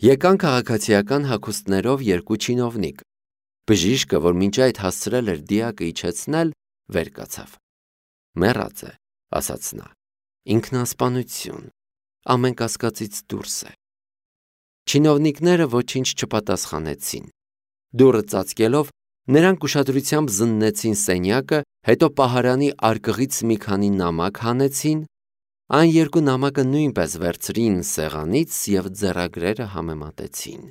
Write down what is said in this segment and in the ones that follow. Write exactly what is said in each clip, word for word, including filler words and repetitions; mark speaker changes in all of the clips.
Speaker 1: Եկան քաղաքացիական հագուստներով երկու չինովնիկ։ Բժիշկը, որ մինչ այդ հասցրել էր դիակը իջեցնել, վեր կացավ։ Մեռած է, ասաց նա։ Ինքնասպանություն, ամեն կասկածից դուրս է։ Չինովնիկները ոչինչ չպատասխանեցին։ Դուռը ծածկելով, նրանք ուշադրությամբ զննեցին սենյակը, հետո պահարանի արկղից մի քանի նամակ հանեցին, այն երկու նամակը նույնպես վերցրին սեղանից և ձեռագրերը համեմատեցին։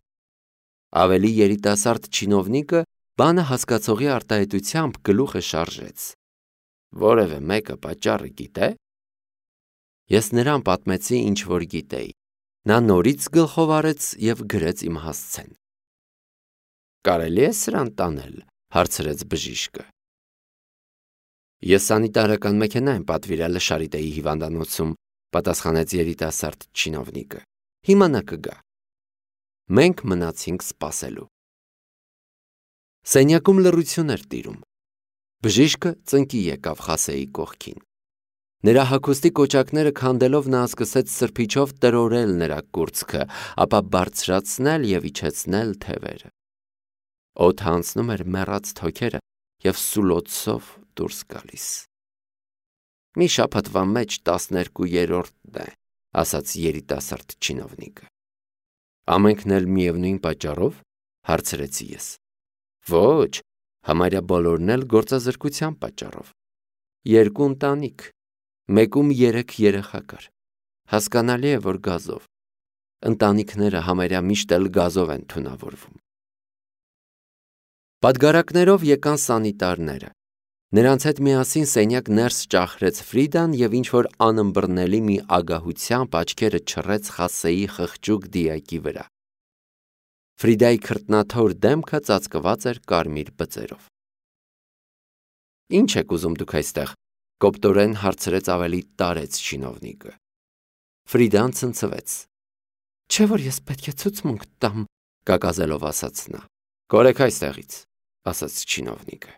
Speaker 1: Ավելի երիտասարդ չինովնիկը բանը հասկացողի արտահայտությամբ գլուխը շարժեց։ Որևէ մեկը պատճառը գիտե՞։ Ես նրան պատմեցի, ինչ որ գիտեի։ Նա նորից գլխով արեց և գրեց իմ հասցեն։ Կարելի է սրան տանել, հարցրեց բժիշկը։ Ես սանիտարական մեքենա եմ պատվիրել Շարիտեի հիվանդանոցում, պատասխանեց երիտասարդ չինովնիկը։ Հիմա նա կգա։ Մենք մնացինք սպասելու։ Սենյակում լռություն էր տիրում։ Բժիշկը ծնկի եկավ Խասեի կողքին։ Նրա հագուստի կոճակները քանդելով նա սկսեց սրբիչով տրորել նրա կուրծքը, ապա բարձրացնել և իջեցնել թևերը։ Օդը անցնում էր մեռած թոքերը և սուլոցով դուրս գալիս։ Մի շաբաթվա մեջ տասներկուերորդն է, ասաց երիտասարդ չինովնիկը։ Ամենքն էլ միևնույն պատճառով, հարցրեցի ես։ Ոչ, համարյա բոլորն էլ գործազրկության պատճառով։ Երկու ընտանիք, մեկում երեք երեխա կար։ Հասկանալի է, որ գազով։ Ընտանիքները համարյա միշտ էլ գազով են թունավորվում։ Պատգարակներով եկան սանիտարները։ Նրանց հետ միասին սենյակ ներս ճախրեց Ֆրիդան և ինչ-որ անըմբռնելի մի ագահությամբ աչքերը չռեց Խասեի խղճուկ դիակի վրա։ Ֆրիդայի քրտնաթոր դեմքը ծածկված էր կարմիր բծերով։ Ինչ եք ուզում դուք այստեղ, կոպտորեն հարցրեց ավելի տարեց չինովնիկը։ Ֆրիդան ցնցվեց։ Չէ՞ որ ես պետք է ցուցմունք տամ, կակազելով ասաց նա։ Կորեք այստեղից, ասաց չինովնիկը։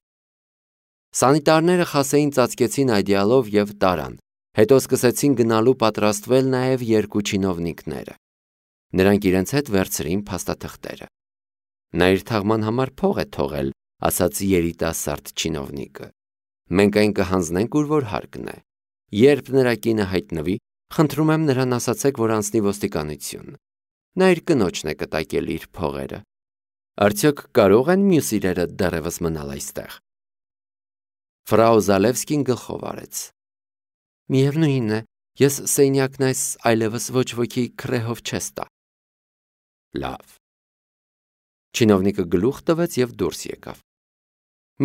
Speaker 1: Սանիտարները Խասեին ծածկեցին այդյալով և տարան, հետո սկսեցին գնալու պատրաստվել նաև երկու չինովնիկները։ Նրանք իրենց հետ վերցրին փաստաթղթերը։ Նա իր թաղման համար փող է թողել, ասաց երիտասարդ չինովնիկը։ Մենք այն կհանձնենք, ուր որ հարկն է։ Երբ նրա կինը հայտնվի, խնդրում եմ նրան ասացեք, որ անցնի ոստիկանություն։ Նա իր կնոջն է կտակել իր փողերը։ Արդյոք կարող են մյուս իրերը դեռևս մնալ այստեղ։ Ֆրау Զալևսկին գլխով արեց։ Միևնույն է, ես սենյակն այս այլևս ոչ ոքի քրեհով չես տա։ Լավ։ Չինովնիկը գլուխ տվեց և դուրս եկավ։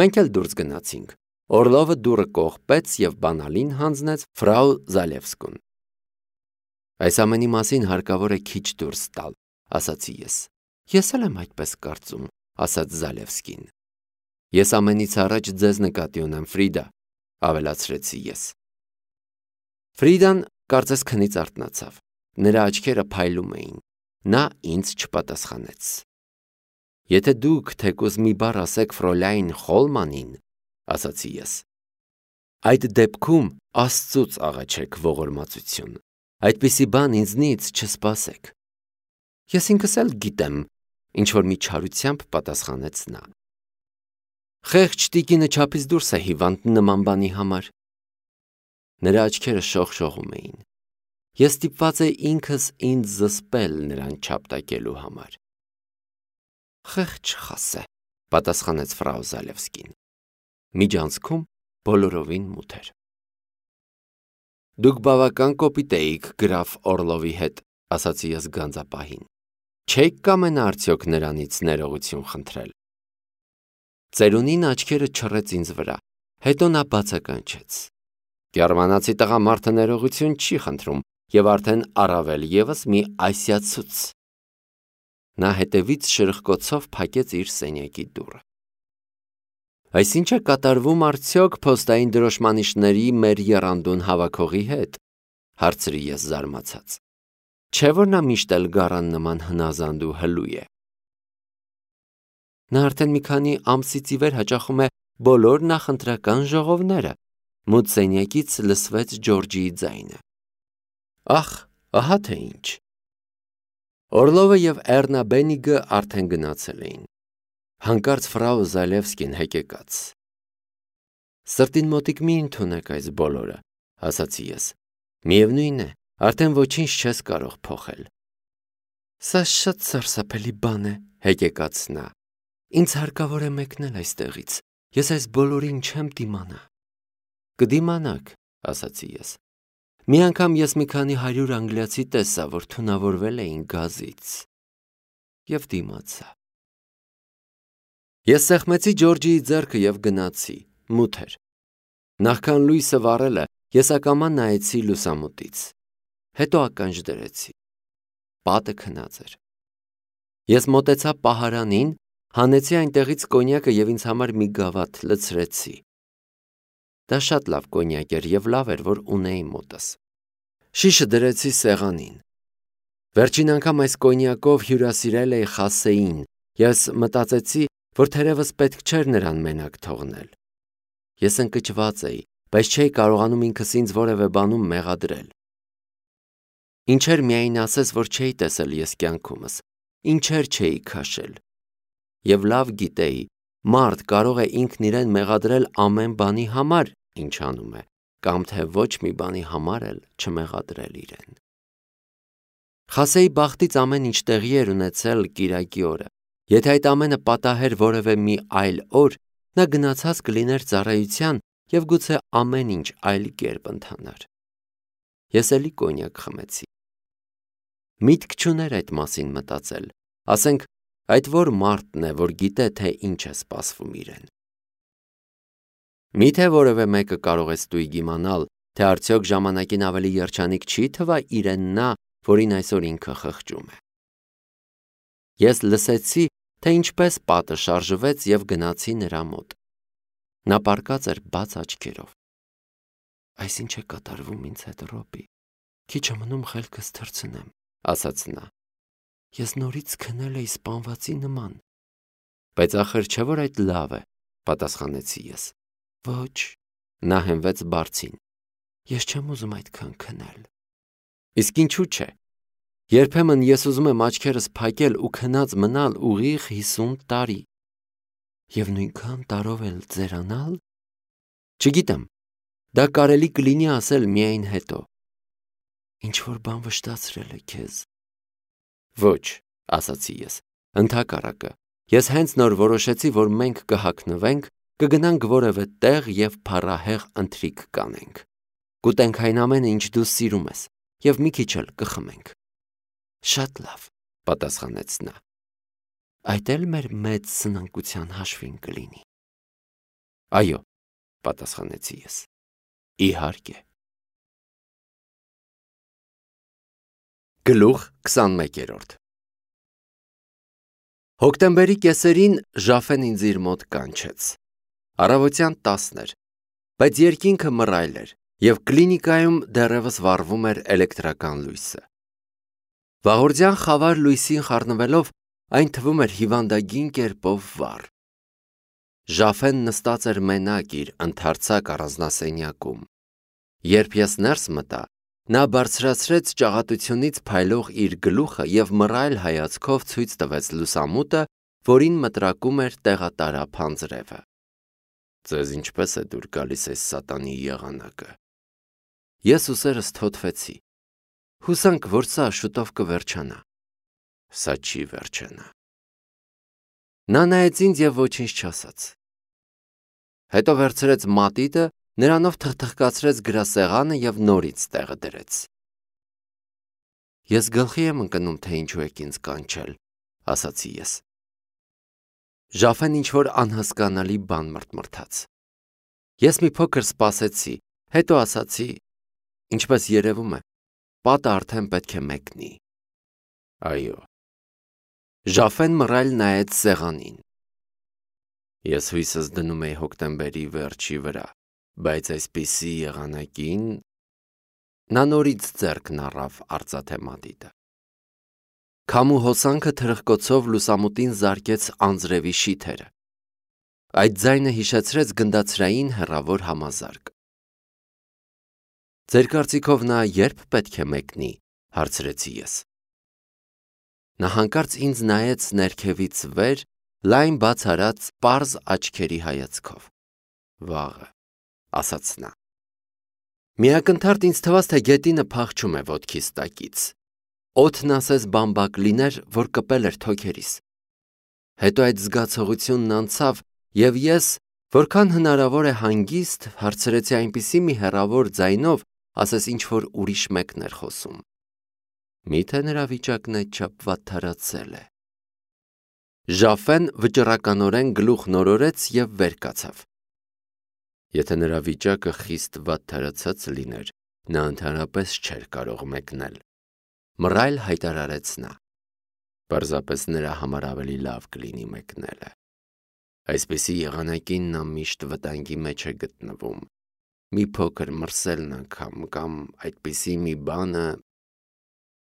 Speaker 1: Մենք էլ դուրս գնացինք։ Օրլովը դուռը կողպեց և բանալին հանձնեց ֆրау Զալևսկուն։ Այս ամենի մասին հարկավոր է քիչ դուրս տալ, ասացի ես։ Ես էլ եմ այդպես կարծում, ասաց Զալևսկին։ Ես ամենից առաջ ձեզ նկատի ունեմ, Ֆրիդա, ավելացրեցի ես։ Ֆրիդան կարծես քնից արթնացավ։ Նրա աչքերը փայլում էին։ Նա ինձ չպատասխանեց։ Եթե դուք թեկուզ մի բառ ասեք Ֆրոլայն Խոլմանին, ասացի ես։ Այդ դեպքում Աստծուց աղաչեք ողորմածություն։ Այդպիսի բան ինձնից չսպասեք։ Ես ինքս էլ գիտեմ, ինչ-որ մի չարությամբ պատասխանեց նա։ Խեղճ տիկինը չափից դուրս է հիվանդ նման բանի համար։ Նրա աչքերը շողշողում էին։ Ես ստիպված էի ինքս ինձ զսպել նրան չափտակելու համար։ Խեղճ Խասե, պատասխանեց ֆրау Զալևսկին։ Միջանցքում բոլորովին մութ էր։ Դուք բավական կոպիտ էիք գրաֆ Օրլովի հետ, ասացի ես գանձապահին։ Չեք կամենա արդյոք նրանից ներողություն խնդրել։ Ծերունին աչքերը չռեց ինձ վրա, հետո նա բացականչեց։ Գերմանացի տղամարդը ներողություն չի խնդրում և արդեն առավել ևս մի ասիացուց։ Նա հետևից շրխկոցով փակեց իր սենյակի դուռը։ Այս ինչ է կատարվում արդյոք փոստային դրոշմանիշների մեր եռանդուն հավաքողի հետ, հարցրի ես զարմացած։ Չէ՞ որ նա միշտ էլ գառան նման հնազանդ ու հլու է։ Նա արդեն մի քանի ամսից ի վեր հաճախում է բոլոր նախընտրական ժողովները։ Մութ սենյակից լսվեց Ջորջիի ձայնը։ Ախ, ահա թե ինչ։ Օրլովը և Էռնա Բենիգը արդեն գնացել էին։ Հանկարծ ֆրау Զալևսկին հեկեկաց։ Սրտին մոտիկ մի ընդունեք այս բոլորը, ասացի ես։ Միևնույն է, արդեն ոչինչ չես կարող փոխել։ Սա շատ սարսափելի բան է, հեկեկաց նա։ Ինձ հարկավոր է մեկնել այստեղից։ Ես այս բոլորին չեմ դիմանա։ Կդիմանաք, ասացի ես։ Մի անգամ ես մի քանի հարյուր անգլիացի տեսա, որ թունավորվել էին գազից։ Եվ դիմացա։ Ես սեղմեցի Ջորջիի ձեռքը և գնացի, մութ էր։ Նախքան լույսը վառելը, ես ակամա նայեցի լուսամուտից։ Հետո ականջ դրեցի։ Պատը քնած էր։ Ես մոտեցա պահարանին, հանեցի այնտեղից կոնյակը և ինձ համար մի գավաթ լցրեցի։ Դա շատ լավ կոնյակ էր և լավ էր, որ ունեի մոտս։ Շիշը դրեցի սեղանին։ Վերջին անգամ այս կոնյակով հյուրասիրել էի Խասեին, ես մտածեցի, որ թերևս պետք չէր նրան մենակ թողնել։ Ես ընկճված էի, բայց չէի կարողանում ինքս ինձ որևէ բանում մեղադրել։ Ինչեր միայն ասես, որ չէի տեսել ես կյանքումս, ինչեր չէի քաշել։ Եվ լավ գիտեի, մարդ կարող է ինքն իրեն մեղադրել ամեն բանի համար, ինչ անում է, կամ թե ոչ մի բանի համար էլ չմեղադրել իրեն։ Խասեի բախտից ամեն ինչ տեղի էր ունեցել կիրակի օրը։ Եթե այդ ամենը պատահեր որևէ մի այլ օր, նա գնացած կլիներ ծառայության և գուցե ամեն ինչ այլ կերպ ընթանար։ Ես էլի կոնյակ խմեցի։ Միտք չուներ այդ մասին մտածել, ասենք, այդ որ մարդն է, որ գիտե, թե ինչ է սպասվում իրեն։ Միթե որևէ մեկը կարող է ստույգ իմանալ, թե արդյոք ժամանակին ավելի երջանիկ չի թվա իրեն նա, որին այսօր ինքը խղճում է։ Ես լսեցի, թե ինչպես պատը շարժվեց և գնացի նրա մոտ։ Նա պառկած էր բաց աչքերով։ Այսինչ է կատարվում ինձ հետ, Ռոբի։ Քիչ է մնում խելքս թռցնեմ, ասաց նա։ Ես նորից քնել էի սպանվածի նման։ Բայց ախր չէ որ այդ լավ է, պատասխանեցի ես։ Ոչ, նա հենվեց բարձին։ Ես չեմ ուզում այդքան քնել։ Իսկ ինչու՞ չէ։ Երբեմն ես ուզում եմ աչքերս փակել ու քնած մնալ ուղիղ հիսուն տարի։ Եվ նույնքան տարով էլ ձերանալ։ Չգիտեմ, դա կարելի կլինի ասել միայն հետո։ Ինչ-որ բան վշտացրել է քեզ։ Ոչ, ասացի ես, ընդհակառակը, ես հենց նոր որոշեցի, որ մենք կհագնվենք, կգնանք որևէ տեղ և փառահեղ ընթրիք կանենք։ Կուտենք այն ամենը, ինչ դու սիրում ես, և մի քիչ էլ կխմենք։ Շատ լավ, պատասխանեց նա։ Այդ էլ մեր մեծ սնանկության հաշվին կլինի։ Այո, պատասխանեցի ես։ Իհարկե։ Գլուխ քսանմեկերորդ Հոկտեմբերի կեսերին Ժաֆեն ինձ իր մոտ կանչեց։ Առավոտյան տասն էր, բայց երկինքը մռայլ էր, և կլինիկայում դեռևս վառվում էր էլեկտրական լույսը։ Վաղորդյան խավար լույսին խառնվելով, այն թվում էր հիվանդագին կերպով վառ։ Ժաֆեն նստած էր մենակ իր ընդարձակ առանձնասենյակում։ Երբ ես ներս մտա, նա բարձրացրեց ճաղատությունից փայլող իր գլուխը և մռայլ հայացքով ցույց տվեց լուսամուտը, որին մտրակում էր տեղատարափ անձրևը։ Ձեզ ինչպես է դուր գալիս այս սատանի եղանակը։ Ես ուսերս թոթվեցի։ Հուսանք, որ սա շուտով կվերջանա։ Սա չի վերջանա։ Նա նայեց ինձ և ոչինչ չասաց։ Հետո վերցրեց մատիտը, նրանով թխթխկացրեց գրասեղանը և նորից տեղը դրեց։ Ես գլխի եմ ընկնում, թե ինչու եք ինձ կանչել, ասացի ես։ Ժաֆեն ինչ-որ անհասկանալի բան մրթմրթաց։ Ես մի փոքր սպասեցի, հետո ասացի. Ինչպես երևում է, պատը արդեն պետք է մեկնի։ Այո։ Ժաֆեն մռայլ նայեց սեղանին։ Ես հույսս դնում էի հոկտեմբերի վերջի վրա, բայց այսպիսի եղանակին… Նա նորից ձեռքն առավ արծաթե մատիտը։ Քամու հոսանքը թրխկոցով լուսամուտին զարկեց անձրևի շիթերը։ Այդ ձայնը հիշեցրեց գնդացրային հեռավոր համազարկ։ Ձեր կարծիքով նա երբ պետք է մեկնի, հարցրեցի ես։ Նա հանկարծ ինձ նայեց ներքևից վեր, լայն բաց արած պարզ աչքերի հայացքով։ Վաղը, ասաց նա։ Միակնթարթ ինձ թվաց, թե գետինը փախչում է ոտքիս տակից։ Օդն ասես բամբակ լիներ, որ կպել էր թոքերիս։ Հետո այդ զգացողությունն անցավ, և ես, որքան հնարավոր է հանգիստ, հարցրեցի այնպիսի մի հեռավոր ձայնով, ասես ինչ-որ ուրիշ մեկն էր խոսում. Միթե նրա վիճակն այդչափ վատթարացել է։ Ժաֆեն վճռականորեն գլուխ նորորեց և վեր կացավ։ Եթե նրա վիճակը խիստ վատթարացած լիներ, նա ընդհանրապես չէր կարող մեկնել, մռայլ հայտարարեց նա։ Պարզապես նրա համար ավելի լավ կլինի մեկնելը։ Այսպիսի եղանակին նա միշտ վտանգի մեջ է գտնվում։ Մի փոքր մրսելն անգամ կամ այդպիսի մի բանը։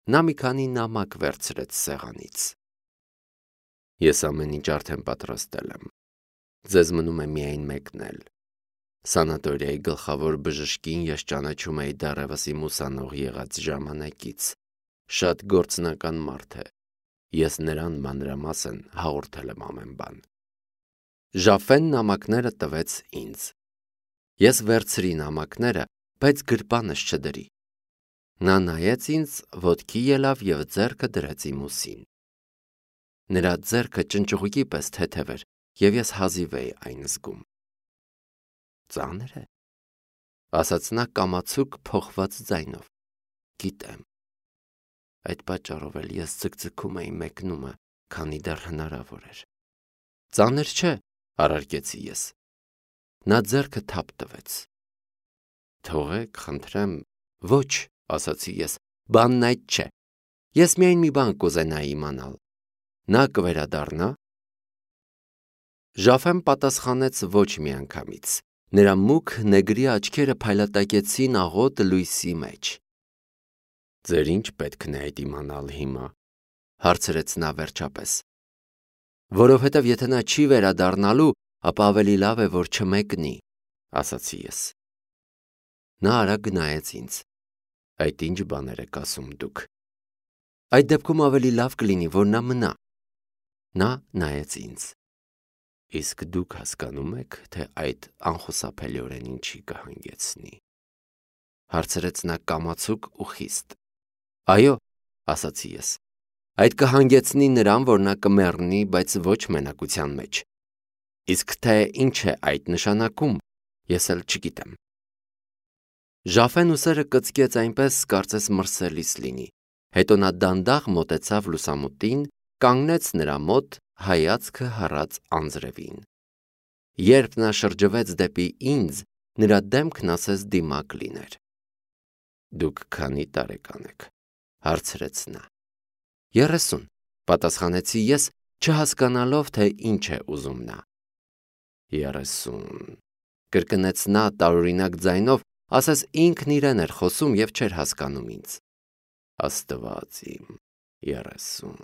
Speaker 1: Նա մի քանի նամակ վերցրեց սեղանից։ Ես ամեն ինչ արդեն պատրաստել եմ։ Ձեզ մնում է միայն մեկնել։ Սանատորիայի գլխավոր բժշկին ես ճանաչում էի դեռևս իմ ուսանող եղած ժամանակից։ Շատ գործնական մարդ է։ Ես նրան մանրամասն հաղորդել եմ ամեն բան։ Ժաֆեն նամակները տվեց ինձ։ Ես վերցրի նամակները, բայց գրպանս չդրի։ Նա նայեց ինձ, ոտքի ելավ և ձեռքը դրեց իմ ուսին։ Նրա ձեռքը ճնճղուկի պես թեթև էր, և ես հազիվ էի այն զգում։ Ծանր է, ասաց նա կամացուկ փոխված ձայնով։ Գիտեմ։ Այդ պատճառով էլ ես ձգձգում էի մեկնումը, քանի դեռ հնարավոր էր։ Ծանր չէ, առարկեցի ես։ Նա ձեռքը թափ տվեց։ Թողեք, խնդրեմ, ոչ, ասացի ես, բանն այդ չէ։ Ես միայն մի բան կուզենայի իմանալ։ Նա կվերադառնա։ Ժաֆեն պատասխանեց ոչ միանգամից։ Նրա մուգ նեգրի աչքերը փայլատակեցին աղոտ լույսի մեջ։ Ձեր ինչ պետքն է այդ իմանալ հիմա, հարցրեց նա վերջապես։ Որովհետև եթե նա չի վերադառնալու, ապա ավելի լավ է, որ չմեկնի, ասացի ես։ Նա արագ նայեց ինձ։ Այդ ինչ բաներ եք ասում դուք։ Այդ դեպքում ավելի լավ կլինի, որ նա մնա։ Նա նայեց ինձ։ Իսկ դուք հասկանում եք, թե այդ անխուսափելիորեն ինչի կհանգեցնի, հարցրեց նա կամացուկ ու խիստ։ Այո, ասացի ես, այդ կհանգեցնի նրան, որ նա կմեռնի, բայց ոչ մենակության մեջ։ Իսկ թե ինչ է այդ նշանակում, ես էլ չգիտեմ։ Ժաֆեն ուսերը կծկեց այնպես, կարծես մրսելիս լինի։ Հետո նա դանդաղ մոտեցավ լուսամուտին, կանգնեց նրա մոտ, հայացքը հառած անձրևին։ Երբ նա շրջվեց դեպի ինձ, նրա դեմքն ասես դիմակ լիներ։ Դուք քանի տարեկան եք, հարցրեց նա։ Երեսուն, պատասխանեցի ես, չհասկանալով, թե ինչ է ուզում նա։ Երեսուն, կրկնեց նա տարօրինակ ձայնով, ասես ինքն իրեն էր խոսում և չէր հասկանում ինձ։ Աստված իմ, երեսուն։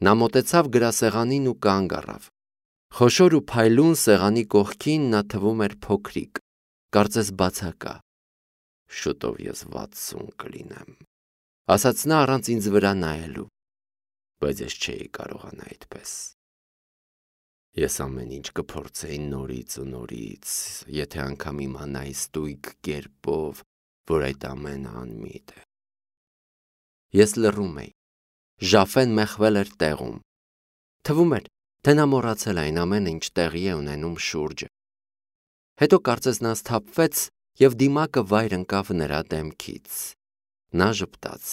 Speaker 1: Նա մոտեցավ գրասեղանին ու կանգ առավ։ Խոշոր ու փայլուն սեղանի կողքին նա թվում էր փոքրիկ, կարծես բացակա։ Շուտով ես վաթսուն կլինեմ, ասաց նա առանց ինձ վրա նայելու, բայց ես չէի կարողանա այդպես։ Ես ամեն ինչ կփորձեի նորից ու նորից, եթե անգամ իմանայի ստույգ կերպով, որ այդ ամենը անմիտ է։ Ես լռում էի։ Ժաֆեն մեխվել էր տեղում։ Թվում էր, թե նա մոռացել այն ամենը, ինչ տեղի է ունենում շուրջը։ Հետո կարծես նա սթափվեց և դիմակը վայր ընկավ նրա դեմքից։ Նա ժպտաց։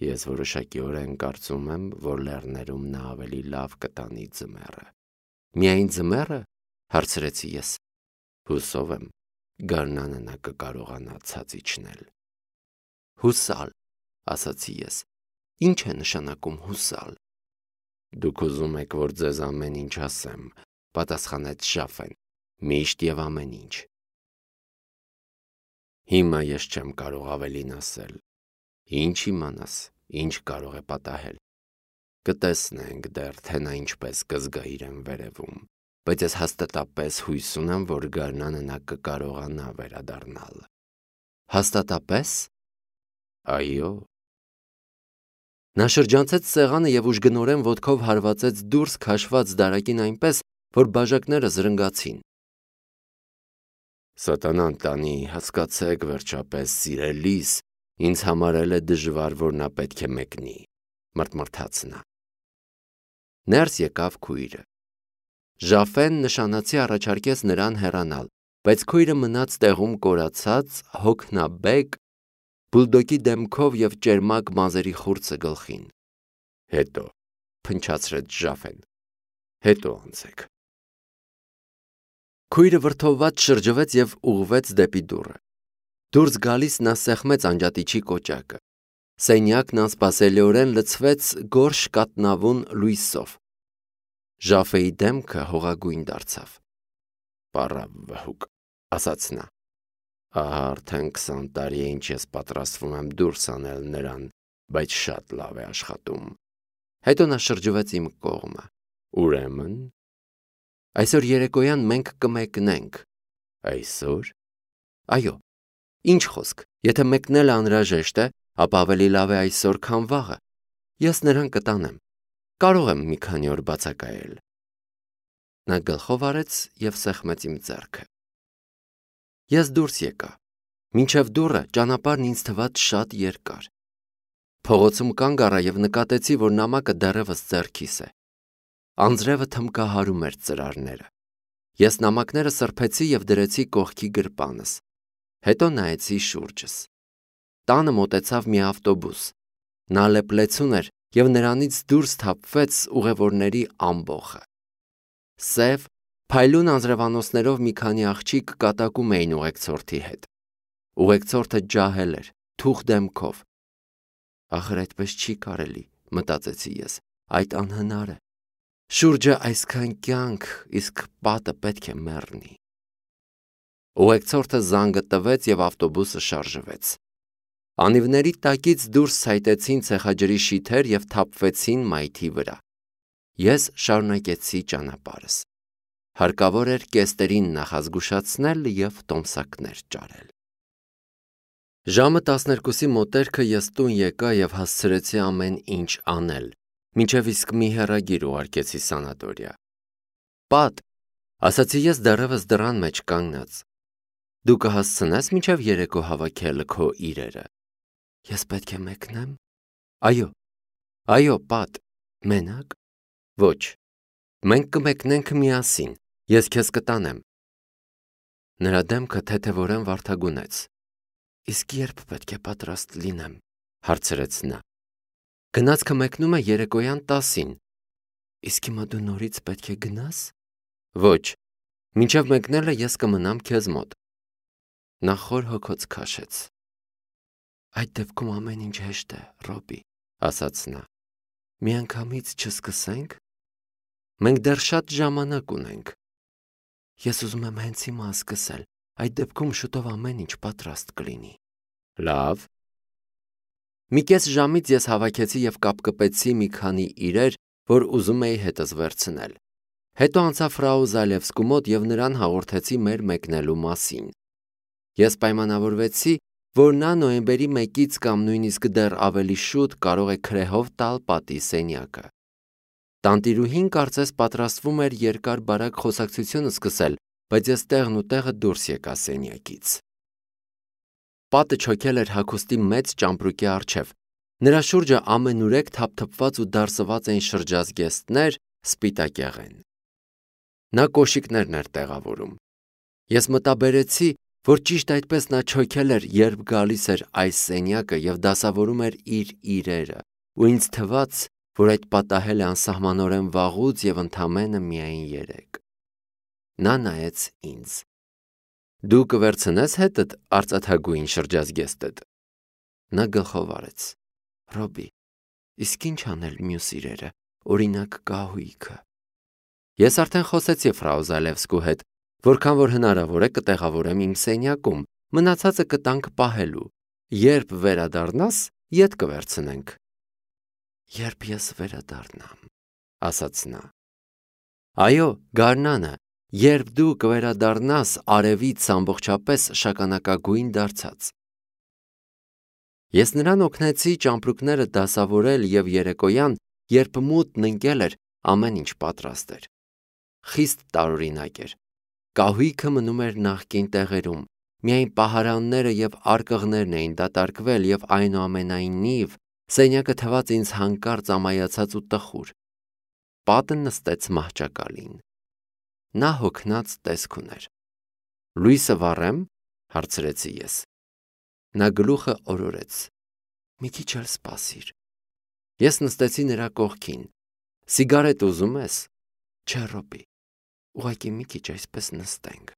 Speaker 1: Ես որոշակիորեն կարծում եմ, որ լեռներում նա ավելի լավ կտանի ձմեռը։ Միայն ձմեռը, հարցրեցի ես։ Հուսով եմ, գարնանը նա կկարողանա ցած իջնել։ Հուսալ, ասացի ես։ Ինչ է նշանակում հուսալ։ Դուք ուզում եք, որ ձեզ ամեն ինչ ասեմ, պատասխանեց Ժաֆեն, միշտ և ամեն ինչ։ Հիմա ես չեմ կարող ավելին ասել։ Ինչ իմանաս, ինչ կարող է պատահել։ Կտեսնենք դեռ, թե նա ինչպես կզգա իրեն վերևում, բայց ես հաստատապես հույս ունեմ, որ գարնանը նա կկարողանա վերադառնալ։ Հաստատապես։ Այո։ Նա շրջանցեց սեղանը և ուժգնորեն ոտքով հարվածեց դուրս քաշված դարակին այնպես, որ բաժակները զրնգացին։ Սատանան տանի, հասկացեք վերջապես, սիրելիս, ինձ համարել է դժվար, որ նա պետք է մեկնի, մռթմռթաց նա։ Ներս եկավ քույրը։ Ժաֆեն նշանացի առաջարկեց նրան հեռանալ, բայց քույրը մնաց տեղում կորացած, հոգնաբեկ, բուլդոգի դեմքով և ճերմակ մազերի խուրձը գլխին։ Հետո, փնչացրեց Ժաֆեն, հետո անցեք։ Քույրը վրդովված շրջվեց և ուղղվեց դեպի դուռը։ Դուրս գալիս նա սեղմեց անջատիչի կոճակը։ Սենյակն անսպասելիորեն լցվեց գորշ կաթնավուն լույսով։ Ժաֆեի դեմքը հողագույն դարձավ։ Պառավ վհուկ, ասաց նա, ահա արդեն քսան տարի է ինչ ես պատրաստվում եմ դուրս անել նրան, բայց շատ լավ է աշխատում։ Հետո նա շրջվեց իմ կողմը։ Ուրեմն, այսօր երեկոյան մենք կմեկնենք։ Այսօր։ Այո, ինչ խոսք, եթե մեկնելը անհրաժեշտ է, ապա ավելի լավ է այսօր, քան վաղը։ Ես նրան կտանեմ։ Կարող եմ մի քանի օր բացակայել։ Նա գլխով արեց և սեղմեց իմ ձեռքը։ Ես դուրս եկա։ Մինչև դուռը ճանապարհն ինձ թվաց շատ երկար։ Փողոցում կանգ առա և նկատեցի, որ նամակը դեռևս ձեռքիս է։ Անձրևը թմկահարում էր ծրարները։ Ես նամակները սրբեցի և դրեցի կողքի գրպանս։ Հետո նայեցի շուրջս։ Տանը մոտեցավ մի ավտոբուս։ Նա լեփլեցուն էր և նրանից դուրս թափվեց ուղևորների ամբոխը։ Սև, փայլուն անձրևանոցներով մի քանի աղջիկ կատակում էին ուղեկցորդի հետ։ Ուղեկցորդը ջահել էր, թուխ դեմքով։ Ախր այդպես չի կարելի, մտածեցի ես, այդ անհնար է։ Շուրջը այսքան կյանք, իսկ պատը պետք է մեռնի։ Ուղեկցորդը զանգը տվեց և ավտոբուսը շարժվեց։ Անիվների տակից դուրս ցայտեցին ցեխաջրի շիթեր և թափվեցին մայթի վրա։ Ես շարունակեցի ճանապարհս։ Հարկավոր էր կեստերին նախազգուշացնել և տոմսակներ ճարել։ Ժամը տասներկուսի մոտերքը ես տուն եկա և հասցրեցի ամեն ինչ անել, մինչև իսկ մի հեռագիր ուղարկեցի սանատորիա։ Պատ, ասացի ես դեռևս դռան մեջ կանգնած, դու կհասցնես մինչև երեկո հավաքել քո իրերը։ Ես պետք է մեկնեմ։ Այո, այո, պատ, մենակ։ Ոչ, մենք կմեկնենք միասին, ես քեզ կտանեմ։ Նրա դեմքը թեթևորեն վարդագունեց։ Իսկ երբ պետք է պատրաստ լինեմ, հարցրեց նա։ Գնացքը մեկնում է երեկոյան տասին։ Իսկ հիմա դու նորից պետք է գնաս։ Ոչ, մինչև մեկնելը ես կմնամ քեզ մոտ։ Նա խոր հոգոց քաշեց։ Այդ դեպքում ամեն ինչ հեշտ է, Ռոբի, ասաց նա։ Միանգամից չսկսենք։ Մենք դեռ շատ ժամանակ ունենք։ Ես ուզում եմ հենց հիմա սկսել, այդ դեպքում շուտով ամեն ինչ պատրաստ կլինի։ Լավ։ Մի կես ժամից ես հավաքեցի և կապկպեցի մի քանի իրեր, որ ուզում էի հետս վերցնել։ Հետո անցա ֆրау Զալևսկու մոտ և նրան հաղորդեցի մեր մեկնելու մասին։ Ես պայմանավորվեցի, որ նա նոյեմբերի մեկից կամ նույնիսկ դեռ ավելի շուտ կարող է քրեհով տալ պատի սենյակը։ Տանտիրուհին կարծես պատրաստվում էր երկար-բարակ խոսակցություն սկսել, բայց ես տեղն ու տեղը դուրս եկա սենյակից։ Պատը չոքել էր հագուստի մեծ ճամպրուկի առջև։ Նրա շուրջը ամենուրեք թափթփված ու դարսված էին շրջազգեստներ, սպիտակեղեն։ Նա կոշիկներն էր տեղավորում։ Ես մտաբերեցի, որ ճիշտ այդպես նա չոքել էր, երբ գալիս էր այս սենյակը և դասավորում էր իր իրերը, ու ինձ թվաց, որ այդ պատահել է անսահմանորեն վաղուց և ընդամենը միայն երեկ։ Նա նայեց ինձ։ Դու կվերցնես հետդ արծաթագույն շրջազգեստդ։ Նա գլխով արեց։ Ռոբի, իսկ ինչ անել մյուս իրերը, օրինակ կահույքը։ Ես արդեն խոսեցի ֆրау Զալևսկու հետ, որքան որ հնարավոր է կտեղավորեմ իմ սենյակում, մնացածը կտանք պահելու։ Երբ վերադառնաս, ետ կվերցնենք։ Երբ ես վերադառնամ, ասաց նա։ Այո, գարնանը, երբ դու կվերադառնաս արևից ամբողջապես շագանակագույն դարձած։ Ես նրան օգնեցի ճամպրուկները դասավորել և երեկոյան, երբ մութն ընկել էր, ամեն ինչ պատրաստ էր։ Խիստ տարօրինակ էր։ Կահույքը մնում էր նախկին տեղերում, միայն պահարանները և արկղներն էին դատարկվել և այնուամենայնիվ սենյակը թվաց ինձ հանկարծ ամայացած ու տխուր։ Պատը նստեց մահճակալին։ Նա հոգնած տեսք ուներ։ «Լույսը վառե՞մ», հարցրեցի ես։ Նա գլուխը օրորեց։ «Մի քիչ էլ սպասիր»։ Ես նստեցի նրա կողքին։ «Սիգարետ ուզում ես»։ «Չէ, Ռոբի, ուղղակի մի քիչ այսպես նստենք»։